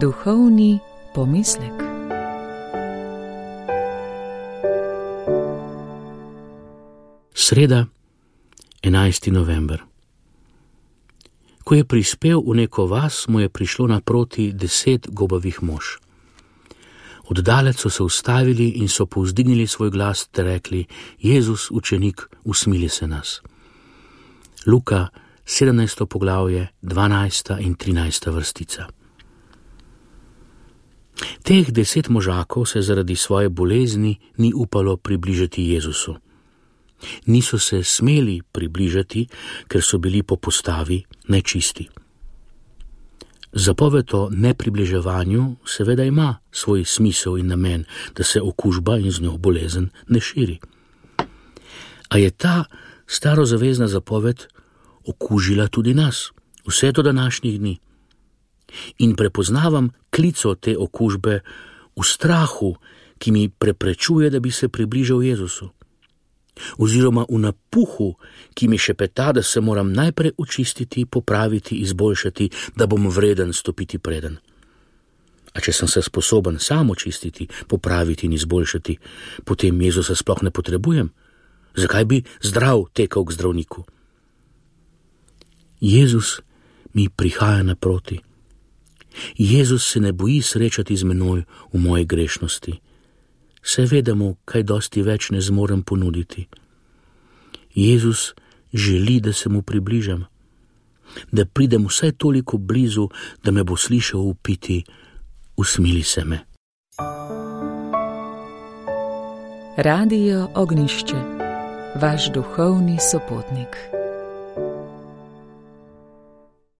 Duhovni pomislek. Sreda, 11. november. Ko je prispel v neko vas, mu je prišlo naproti 10 gobavih mož. Oddalec so se ustavili in so povzdignili svoj glas ter rekli: Jezus, učenik, usmili se nas. Luka, 17. poglavje, 12. in 13. vrstica. Teh 10 možakov se zaradi svoje bolezni ni upalo približati Jezusu. Niso se smeli približati, ker so bili po postavi nečisti. Zapoved o nepribliževanju seveda ima svoj smisel in namen, da se okužba in z njo bolezen ne širi. A je ta starozavezna zapoved okužila tudi nas, vse do današnjih dni. In prepoznavam klico te okužbe v strahu, ki mi preprečuje, da bi se približal Jezusu. Oziroma v napuhu, ki mi šepeta, da se moram najprej očistiti, popraviti, izboljšati, da bom vreden stopiti preden. A če sem se sposoben sam očistiti, popraviti in izboljšati, potem Jezusa sploh ne potrebujem. Zakaj bi zdrav tekal k zdravniku? Jezus mi prihaja naproti. Jezus se ne boji srečati z menoj v moji grešnosti. Se vedemo, kaj dosti več ne zmorem ponuditi. Jezus želi, da se mu približam, da pridem vsaj toliko blizu, da me bo slišal vpiti: usmili se me. Radio Ognjišče, vaš duhovni sopotnik.